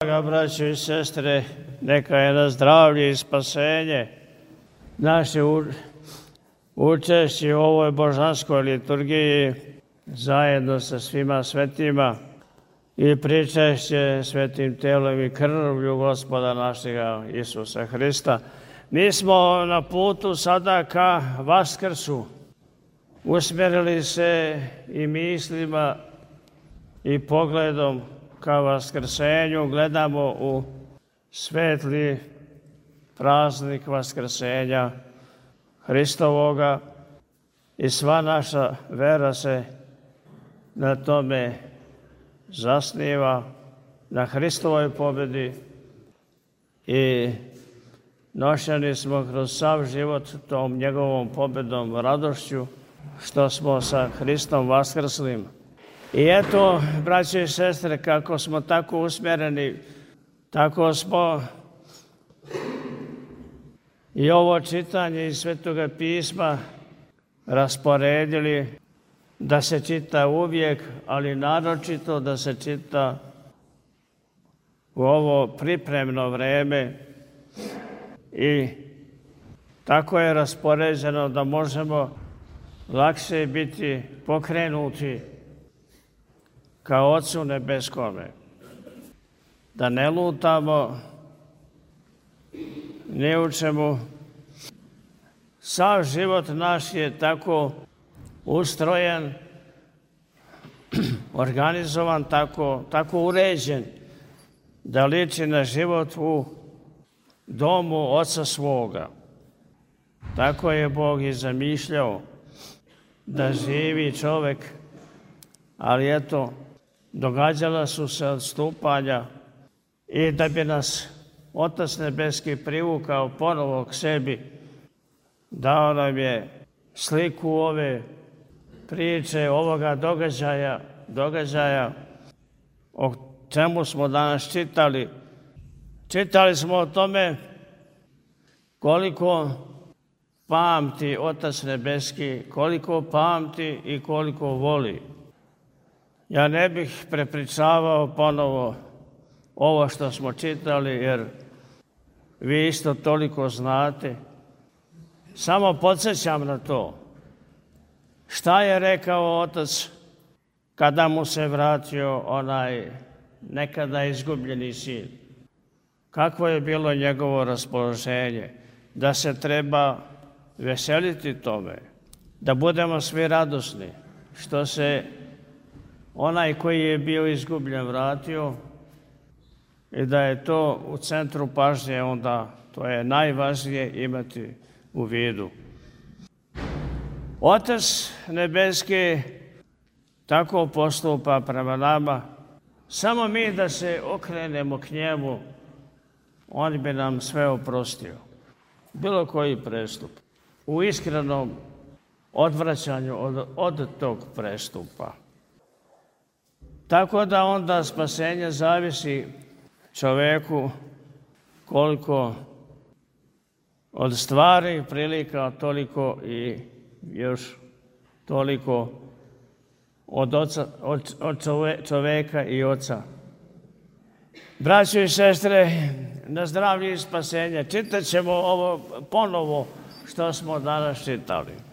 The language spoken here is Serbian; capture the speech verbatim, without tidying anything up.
Draga braćo i sestre, neka je na zdravlje i spasenje naše učešće u ovoj božanskoj liturgiji zajedno sa svima svetima i pričešće svetim telom i krvlju Gospoda našega Isusa Hrista. Mi smo na putu sada ka Vaskrsu, usmjerili se i mislima i pogledom ka Vaskrsenju, gledamo u svetli praznik Vaskrsenja Hristovoga i sva naša vera se na tome zasniva, na Hristovoj pobjedi i nošeni smo kroz sav život tom njegovom pobjedom, radošću što smo sa Hristom vaskrslim. I eto, braće i sestre, kako smo tako usmjereni, tako smo i ovo čitanje iz Svetoga pisma rasporedili da se čita uvijek, ali naročito da se čita u ovo pripremno vreme i tako je raspoređeno da možemo lakše biti pokrenuti ka Ocu nebeskome. Da ne lutamo ni u čemu. Sav život naš je tako ustrojen, organizovan, tako, tako uređen, da liči na život u domu Oca svoga. Tako je Bog i zamišljao da živi čovjek, ali eto, događala su se odstupanja i da bi nas Otac nebeski privukao ponovo k sebi, dao nam je sliku ove priče, ovoga događaja, događaja o čemu smo danas čitali. Čitali smo o tome koliko pamti Otac nebeski, koliko pamti i koliko voli. Ja ne bih prepričavao ponovo ovo što smo čitali, jer vi isto toliko znate. Samo podsjećam na to. Šta je rekao Otac kada mu se vratio onaj nekada izgubljeni sin? Kakvo je bilo njegovo raspoloženje? Da se treba veseliti tome, da budemo svi radosni, što se onaj koji je bio izgubljen vratio i da je to u centru pažnje, onda to je najvažnije imati u vidu. Otac nebeski tako postupa prema nama. Samo mi da se okrenemo k njemu, on bi nam sve oprostio. Bilo koji prestup. U iskrenom odvraćanju od, od tog prestupa. Tako da onda spasenje zavisi čovjeku koliko od stvari prilika, toliko i još toliko od, oca, od, od čovjeka i Oca. Braćo i sestre, na zdravlje i spasenje, čitat ćemo ovo ponovo što smo danas čitali.